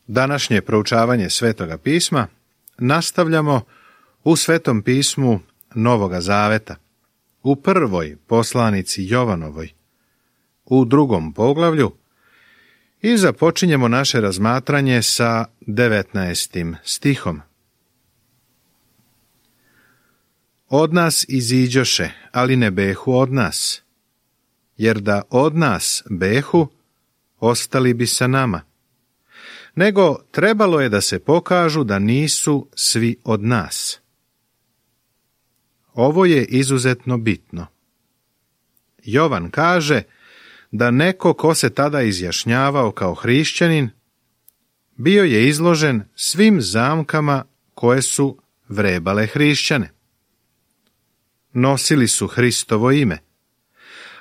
Današnje proučavanje Svetoga pisma nastavljamo u Svetom pismu Novoga Zaveta, u prvoj poslanici Jovanovoj, u 2. poglavlju, i započinjemo naše razmatranje sa 19. stihom. Od nas iziđoše, ali ne behu od nas, jer da od nas behu, ostali bi sa nama. Nego trebalo je da se pokažu da nisu svi od nas. Ovo je izuzetno bitno. Jovan kaže da neko ko se tada izjašnjavao kao hrišćanin, bio je izložen svim zamkama koje su vrebale hrišćane. Nosili su Hristovo ime,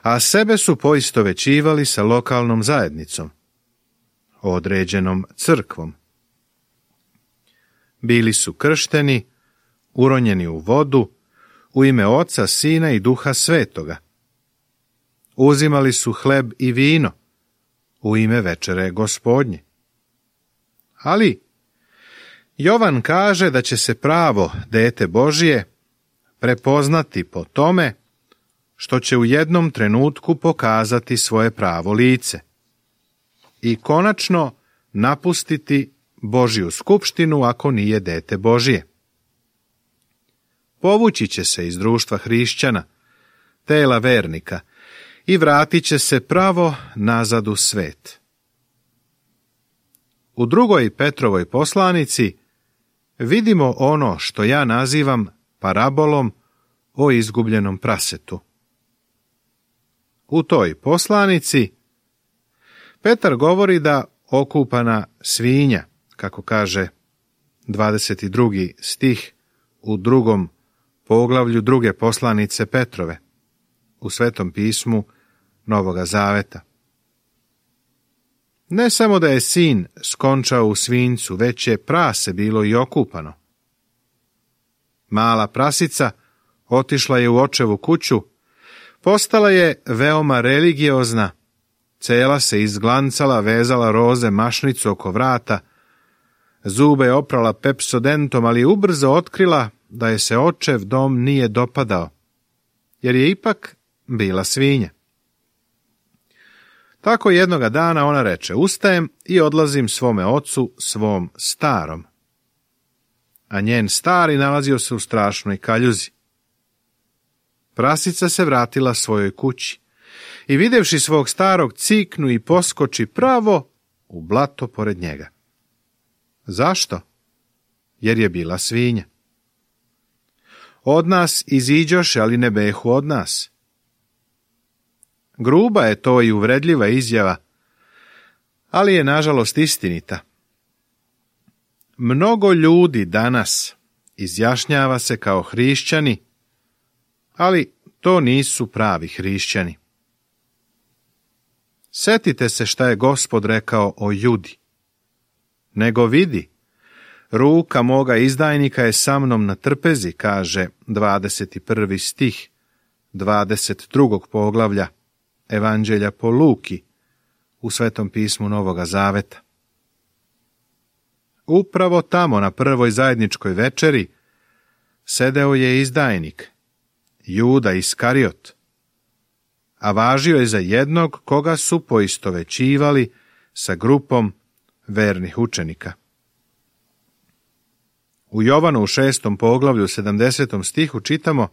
a sebe su poistovećivali sa lokalnom zajednicom, određenom crkvom. Bili su kršteni, uronjeni u vodu, u ime Oca, Sina i Duha Svetoga. Uzimali su hleb i vino, u ime večere Gospodnje. Ali Jovan kaže da će se pravo dete Božije prepoznati po tome što će u jednom trenutku pokazati svoje pravo lice i konačno napustiti Božju skupštinu ako nije dete Božije. Povući će se iz društva hrišćana, tela vernika, i vratit će se pravo nazad u svet. U 2. Petrovoj poslanici vidimo ono što ja nazivam parabolom o izgubljenom prasetu. U toj poslanici Petar govori da okupana svinja, kako kaže 22. stih u 2. poglavlju 2. poslanice Petrove, u Svetom pismu Novoga Zaveta. Ne samo da je sin skončao u svinjcu, već je prase bilo i okupano. Mala prasica otišla je u očevu kuću, postala je veoma religiozna, cela se izglancala, vezala roze mašnicu oko vrata, zube je oprala pepsodentom, ali ubrzo otkrila da je se očev dom nije dopadao, jer je ipak bila svinja. Tako jednoga dana ona reče: ustajem i odlazim svome ocu, svom starom. A njen stari nalazio se u strašnoj kaljuzi. Prasica se vratila svojoj kući i videvši svog starog ciknu i poskoči pravo u blato pored njega. Zašto? Jer je bila svinja. Od nas iziđoše, ali ne behu od nas. Gruba je to i uvredljiva izjava, ali je nažalost istinita. Mnogo ljudi danas izjašnjava se kao hrišćani, ali to nisu pravi hrišćani. Setite se šta je Gospod rekao o Judi. Nego vidi, ruka moga izdajnika je sa mnom na trpezi, kaže 21. stih 22. poglavlja Evanđelja po Luki u Svetom pismu Novoga Zaveta. Upravo tamo na prvoj zajedničkoj večeri sedeo je izdajnik, Juda Iskariot, a važio je za jednog koga su poistovećivali sa grupom vernih učenika. U Jovanu u 6. poglavlju 70. stihu čitamo: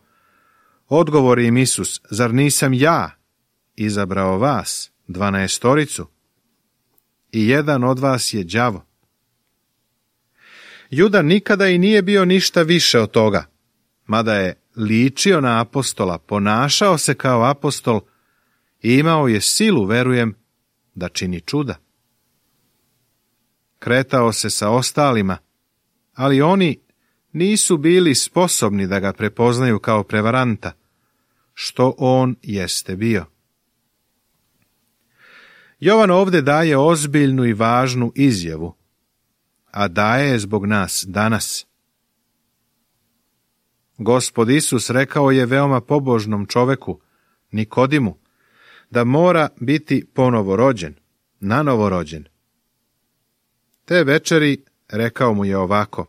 odgovori im Isus: zar nisam ja izabrao vas, 12-toricu, i jedan od vas je đavo? Juda nikada i nije bio ništa više od toga, mada je ličio na apostola, ponašao se kao apostol i imao je silu, verujem, da čini čuda. Kretao se sa ostalima, ali oni nisu bili sposobni da ga prepoznaju kao prevaranta, što on jeste bio. Jovan ovdje daje ozbiljnu i važnu izjavu, a daje je zbog nas danas. Gospod Isus rekao je veoma pobožnom čoveku, Nikodimu, da mora biti ponovo rođen, nanovo rođen. Te večeri rekao mu je ovako.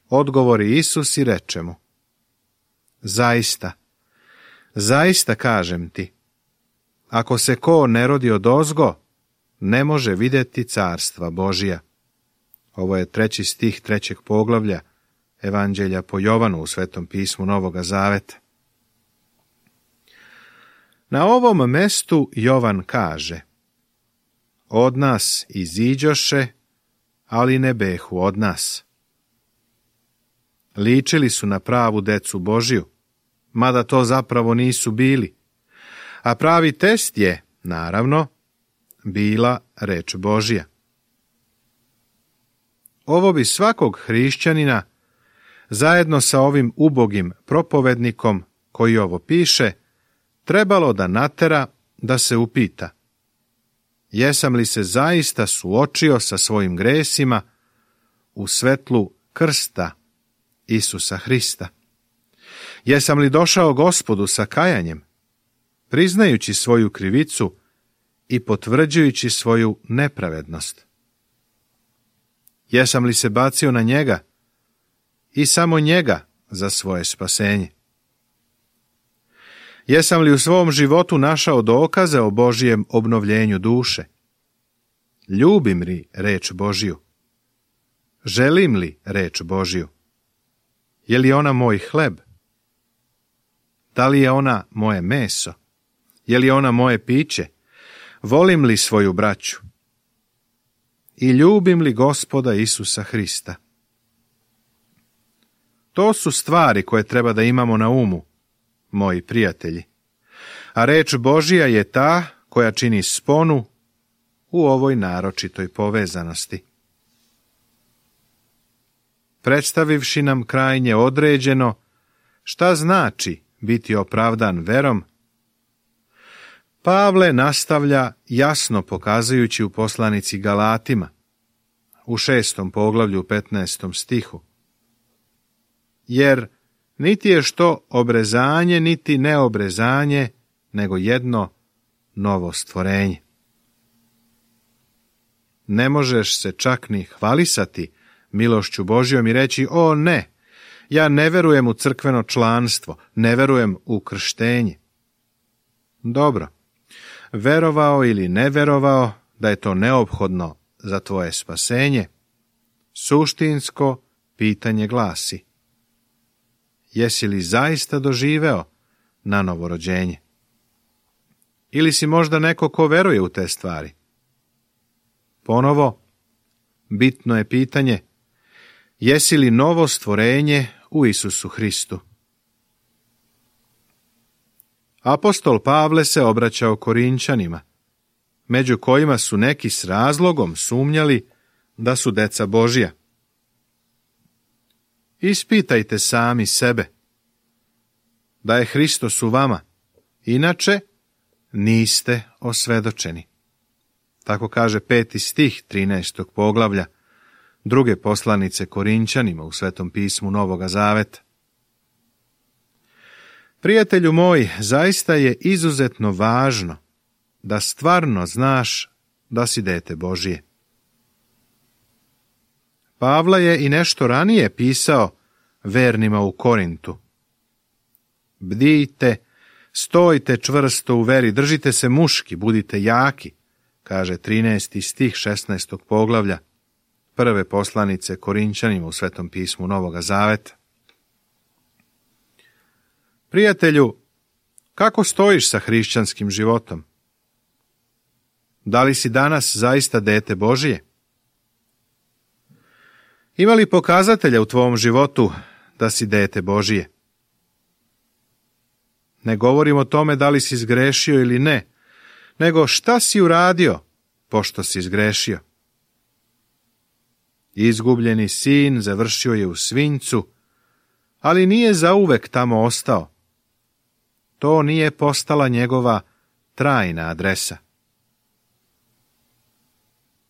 Odgovori Isus i reče mu. Zaista, zaista kažem ti, ako se ko ne rodi odozgo, ne može vidjeti carstva Božija. Ovo je 3. stih 3. poglavlja Evanđelja po Jovanu u Svetom pismu Novoga Zaveta. Na ovom mestu Jovan kaže: Od nas iziđoše, ali ne behu od nas. Ličili su na pravu decu Božiju, mada to zapravo nisu bili, a pravi test je, naravno, bila reč Božja. Ovo bi svakog hrišćanina, zajedno sa ovim ubogim propovednikom koji ovo piše, trebalo da natera da se upita: jesam li se zaista suočio sa svojim gresima u svetlu krsta Isusa Hrista? Jesam li došao Gospodu sa kajanjem, priznajući svoju krivicu i potvrđujući svoju nepravednost? Jesam li se bacio na njega i samo njega za svoje spasenje? Jesam li u svom životu našao dokaze o Božijem obnovljenju duše? Ljubim li reč Božju? Želim li reč Božju? Je li ona moj hleb? Da li je ona moje meso? Je li ona moje piće? Volim li svoju braću? I ljubim li Gospoda Isusa Hrista? To su stvari koje treba da imamo na umu, moji prijatelji. A reč Božja je ta koja čini sponu u ovoj naročitoj povezanosti. Predstavivši nam krajnje određeno šta znači biti opravdan verom, Pavle nastavlja jasno pokazujući u poslanici Galatima, u 6. poglavlju 15. stihu. Jer niti je što obrezanje, niti neobrezanje, nego jedno novo stvorenje. Ne možeš se čak ni hvalisati milošću Božjom i reći: o ne, ja ne verujem u crkveno članstvo, ne verujem u krštenje. Dobro, verovao ili ne verovao da je to neophodno za tvoje spasenje, suštinsko pitanje glasi: jesi li zaista doživeo na novorođenje? Ili si možda neko ko veruje u te stvari? Ponovo, bitno je pitanje: jesi li novo stvorenje u Isusu Hristu? Apostol Pavle se obraćao Korinćanima, među kojima su neki s razlogom sumnjali da su deca Božja. Ispitajte sami sebe da je Hristos u vama, inače niste osvedočeni. Tako kaže 5. stih 13. poglavlja druge poslanice Korinćanima u Svetom pismu Novoga Zaveta. Prijatelju moj, zaista je izuzetno važno da stvarno znaš da si dete Božije. Pavle je i nešto ranije pisao vernima u Korintu. Bdijte, stojte čvrsto u veri, držite se muški, budite jaki, kaže 13. stih 16. poglavlja prve poslanice Korinćanima u Svetom pismu Novoga Zaveta. Prijatelju, kako stojiš sa hrišćanskim životom? Da li si danas zaista dete Božije? Ima li pokazatelja u tvom životu da si dete Božije? Ne govorim o tome da li si zgrešio ili ne, nego šta si uradio pošto si zgrešio. Izgubljeni sin završio je u svinjcu, ali nije zauvek tamo ostao. To nije postala njegova trajna adresa.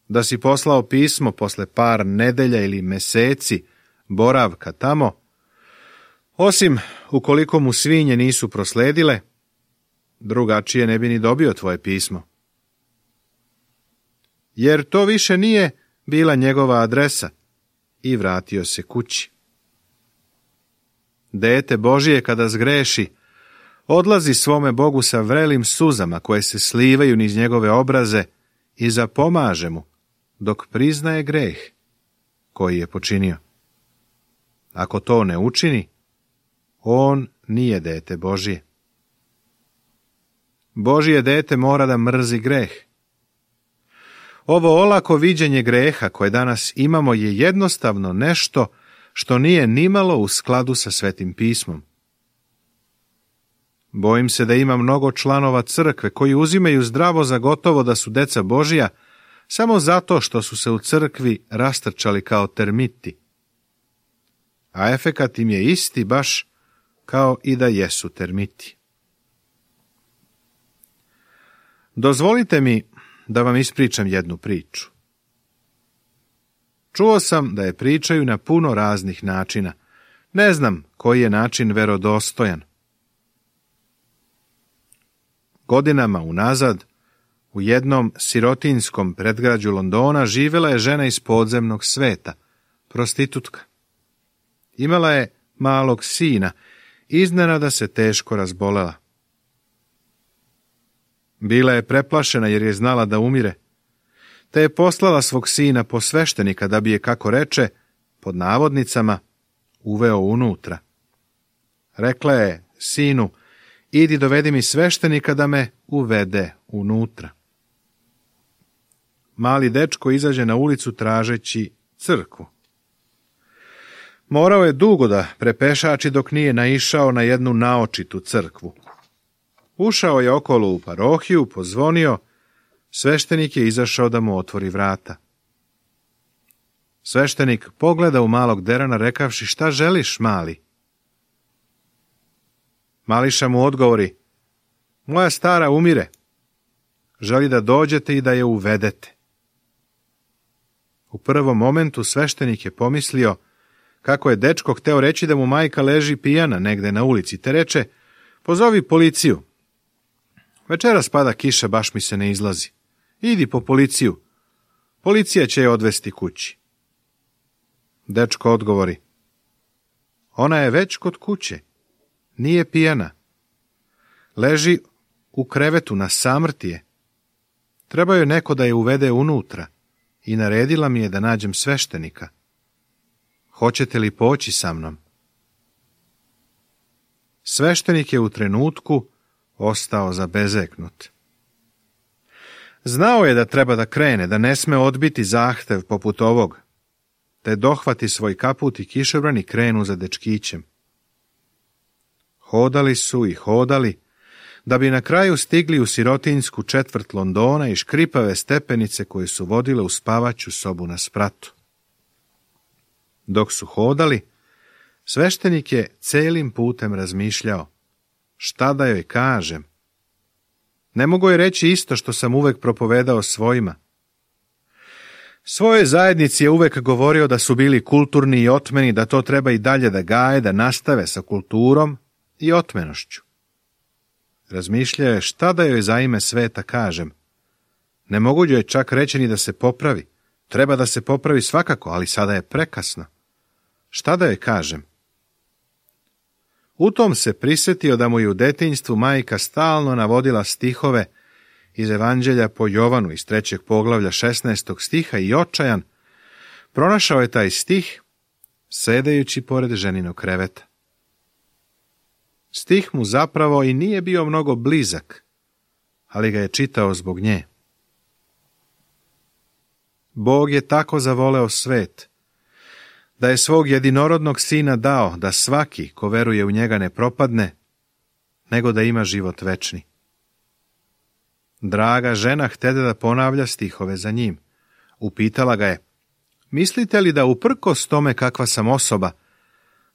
Da si poslao pismo posle par nedelja ili meseci boravka tamo, osim ukoliko mu svinje nisu prosledile, drugačije ne bi ni dobio tvoje pismo. jer to više nije bila njegova adresa, i vratio se kući. Dete Božije kada zgreši, odlazi svome Bogu sa vrelim suzama koje se slivaju niz njegove obraze i zapomaže mu dok priznaje greh koji je počinio. Ako to ne učini, on nije dete Božije. Božije dete mora da mrzi greh. Ovo olako viđenje greha koje danas imamo je jednostavno nešto što nije nimalo u skladu sa Svetim pismom. Bojim se da ima mnogo članova crkve koji uzimaju zdravo za gotovo da su deca Božija samo zato što su se u crkvi rastrčali kao termiti. A efekat im je isti baš kao i da jesu termiti. Dozvolite mi da vam ispričam jednu priču. Čuo sam da je pričaju na puno raznih načina. Ne znam koji je način verodostojan. Godinama unazad, u jednom sirotinskom predgrađu Londona živjela je žena iz podzemnog sveta, prostitutka. Imala je malog sina, iznenada se teško razbolela. Bila je preplašena jer je znala da umire, te je poslala svog sina po sveštenika da bi je, kako reče, pod navodnicama, uveo unutra. Rekla je sinu, idi dovedi mi sveštenika da me uvede unutra. Mali dečko izađe na ulicu tražeći crkvu. Morao je dugo da prepešači dok nije naišao na jednu naočitu crkvu. Ušao je okolo u parohiju, pozvonio, sveštenik je izašao da mu otvori vrata. Sveštenik pogleda u malog derana rekavši, šta želiš, mali? Mališa mu odgovori, moja stara umire, želi da dođete i da je uvedete. U prvom momentu sveštenik je pomislio kako je dečko hteo reći da mu majka leži pijana negde na ulici, te reče, pozovi policiju. Večeras pada kiša, baš mi se ne izlazi. Idi po policiju. Policija će je odvesti kući. Dečko odgovori, ona je već kod kuće. Nije pijana. Leži u krevetu, na samrti je. Treba joj neko da je uvede unutra i naredila mi je da nađem sveštenika. Hoćete li poći sa mnom? Sveštenik je u trenutku ostao zabezeknut. Znao je da treba da krene, da ne sme odbiti zahtev poput ovog, te dohvati svoj kaput i kišobran i krenu za dečkićem. Hodali su i hodali, da bi na kraju stigli u sirotinjsku četvrt Londona i škripave stepenice koje su vodile u spavaću sobu na spratu. Dok su hodali, sveštenik je celim putem razmišljao, šta da joj kažem? Ne mogu joj reći isto što sam uvek propovedao svojima. Svojoj zajednici je uvek govorio da su bili kulturni i otmeni, da to treba i dalje da gaje, da nastave sa kulturom i otmenošću. Razmišljao je šta da joj za ime sveta kažem. Ne mogu joj čak reći ni da se popravi. Treba da se popravi svakako, ali sada je prekasno. Šta da joj kažem? U tom se prisjetio da mu je u detinjstvu majka stalno navodila stihove iz Evanđelja po Jovanu iz 3. poglavlja 16. stiha i očajan, pronašao je taj stih sedajući pored ženinog kreveta. Stih mu zapravo i nije bio mnogo blizak, ali ga je čitao zbog nje. Bog je tako zavoleo svet, da je svog jedinorodnog sina dao da svaki ko veruje u njega ne propadne, nego da ima život večni. Draga žena htede da ponavlja stihove za njim. Upitala ga je, mislite li da uprkos tome kakva sam osoba,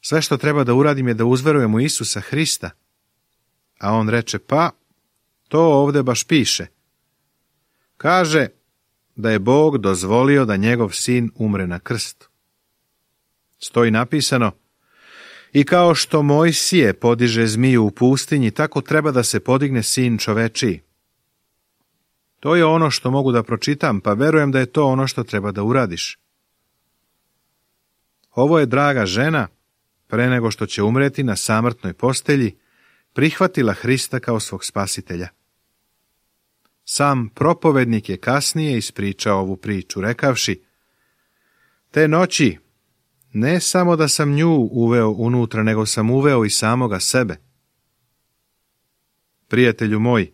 sve što treba da uradim je da uzverujem u Isusa Hrista? A on reče, pa, to ovde baš piše. Kaže da je Bog dozvolio da njegov sin umre na krstu. Stoji napisano, i kao što Mojsije podiže zmiju u pustinji, tako treba da se podigne sin čovečiji. To je ono što mogu da pročitam, pa verujem da je to ono što treba da uradiš. Ovo je draga žena, pre nego što će umreti na samrtnoj postelji, prihvatila Hrista kao svog spasitelja. Sam propovednik je kasnije ispričao ovu priču, rekavši: te noći ne samo da sam nju uveo unutra, nego sam uveo i samoga sebe. Prijatelju moj,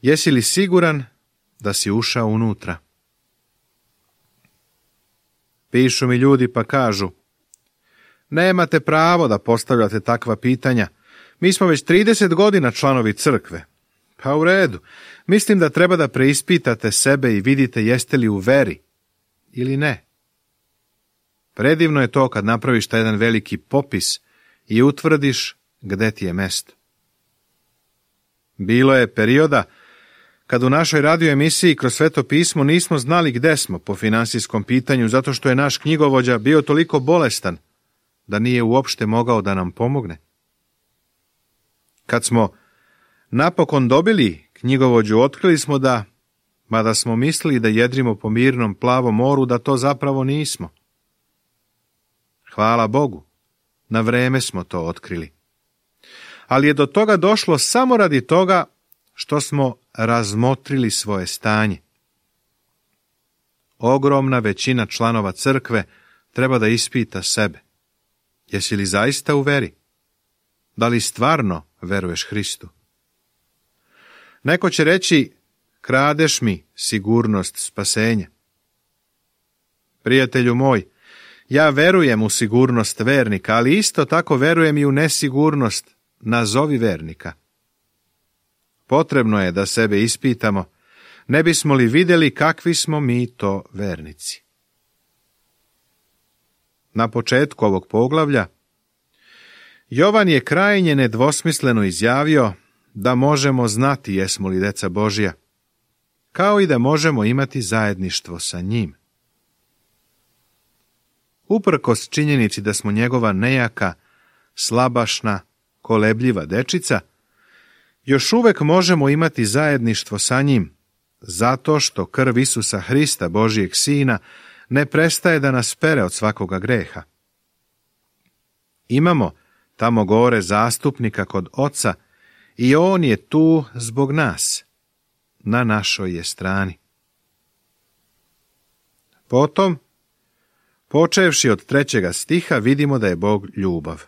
jesi li siguran da si ušao unutra? Pišu mi ljudi pa kažu: nemate pravo da postavljate takva pitanja. Mi smo već 30 godina članovi crkve. Pa u redu. Mislim da treba da preispitate sebe i vidite jeste li u veri ili ne. Predivno je to kad napraviš taj jedan veliki popis i utvrdiš gde ti je mesto. Bilo je perioda kad u našoj radio emisiji kroz Sveto pismo nismo znali gde smo po finansijskom pitanju, zato što je naš knjigovođa bio toliko bolestan da nije uopšte mogao da nam pomogne. Kad smo napokon dobili knjigovođu, otkrili smo da, mada smo mislili da jedrimo po mirnom plavom moru, da to zapravo nismo. Hvala Bogu, na vreme smo to otkrili. Ali je do toga došlo samo radi toga što smo razmotrili svoje stanje. Ogromna većina članova crkve treba da ispita sebe. Jesi li zaista u veri? Da li stvarno veruješ Hristu? Neko će reći: kradeš mi sigurnost spasenja. Prijatelju moj, ja verujem u sigurnost vernika, ali isto tako verujem i u nesigurnost, nazovi vernika. Potrebno je da sebe ispitamo, ne bismo li vidjeli kakvi smo mi to vernici. Na početku ovog poglavlja Jovan je krajnje nedvosmisleno izjavio da možemo znati jesmo li deca Božja, kao i da možemo imati zajedništvo sa njim. Uprkos činjenici da smo njegova nejaka, slabašna, kolebljiva dečica, još uvek možemo imati zajedništvo sa njim, zato što krv Isusa Hrista, Božijeg Sina, ne prestaje da nas pere od svakoga greha. Imamo tamo gore zastupnika kod Oca i on je tu zbog nas, na našoj je strani. Potom, počevši od 3. stiha, vidimo da je Bog ljubav.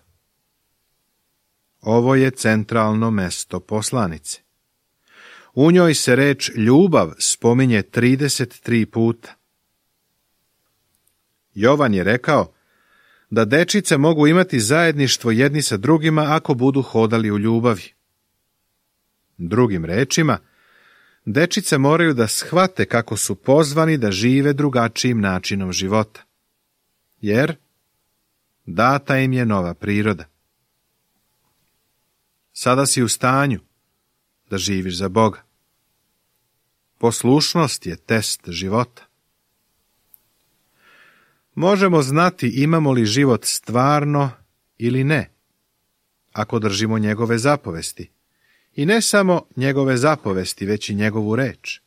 Ovo je centralno mesto poslanice. U njoj se reč ljubav spominje 33 puta. Jovan je rekao da dečice mogu imati zajedništvo jedni sa drugima ako budu hodali u ljubavi. Drugim rečima, dečice moraju da shvate kako su pozvani da žive drugačijim načinom života, jer data im je nova priroda. Sada si u stanju da živiš za Boga. Poslušnost je test života. Možemo znati imamo li život stvarno ili ne, ako držimo njegove zapovesti. I ne samo njegove zapovesti, već i njegovu reč.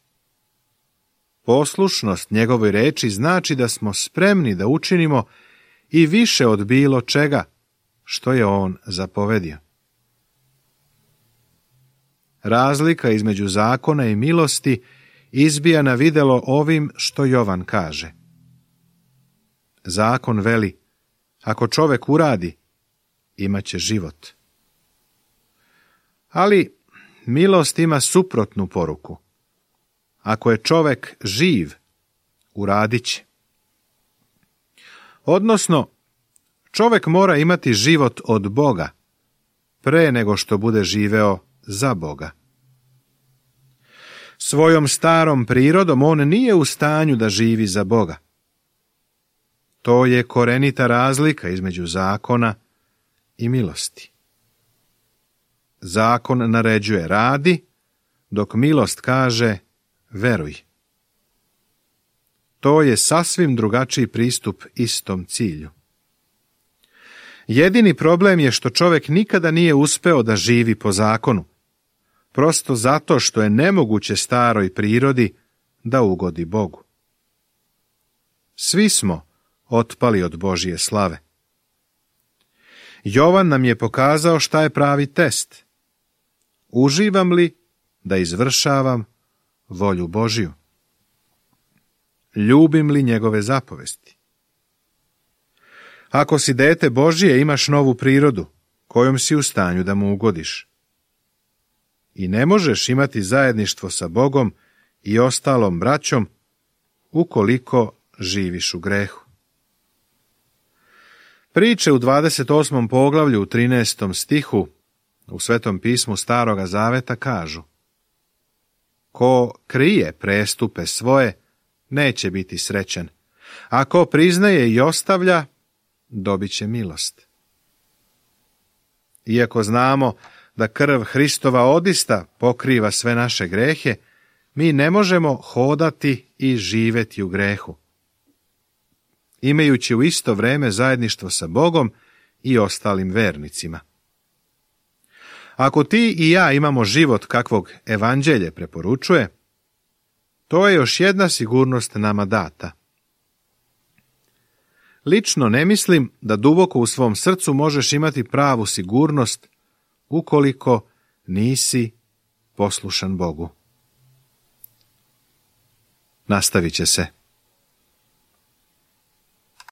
Poslušnost njegovoj reči znači da smo spremni da učinimo i više od bilo čega što je on zapovedio. Razlika između zakona i milosti izbija na videlo ovim što Jovan kaže. Zakon veli, ako čovek uradi, imaće život. Ali milost ima suprotnu poruku. Ako je čovek živ, uradit će. Odnosno, čovek mora imati život od Boga, pre nego što bude živeo za Boga. Svojom starom prirodom on nije u stanju da živi za Boga. To je korenita razlika između zakona i milosti. Zakon naređuje radi, dok milost kaže veruj. To je sasvim drugačiji pristup istom cilju. Jedini problem je što čovjek nikada nije uspeo da živi po zakonu. prosto zato što je nemoguće staroj prirodi da ugodi Bogu. Svi smo otpali od Božje slave. Jovan nam je pokazao šta je pravi test. Uživam li da izvršavam volju Božju? Ljubim li njegove zapovesti? Ako si dete Božje, imaš novu prirodu, kojom si u stanju da mu ugodiš. I ne možeš imati zajedništvo sa Bogom i ostalom braćom ukoliko živiš u grehu. Priče u 28. poglavlju u 13. stihu u Svetom pismu Staroga Zaveta kažu: Ko krije prestupe svoje, neće biti srećan, a ko priznaje i ostavlja, dobit će milost. Iako znamo da krv Hristova odista pokriva sve naše grehe, mi ne možemo hodati i živjeti u grehu, imajući u isto vrijeme zajedništvo sa Bogom i ostalim vernicima. Ako ti i ja imamo život kakvog evanđelje preporučuje, to je još jedna sigurnost nama data. Lično ne mislim da duboko u svom srcu možeš imati pravu sigurnost ukoliko nisi poslušan Bogu. Nastavit će se.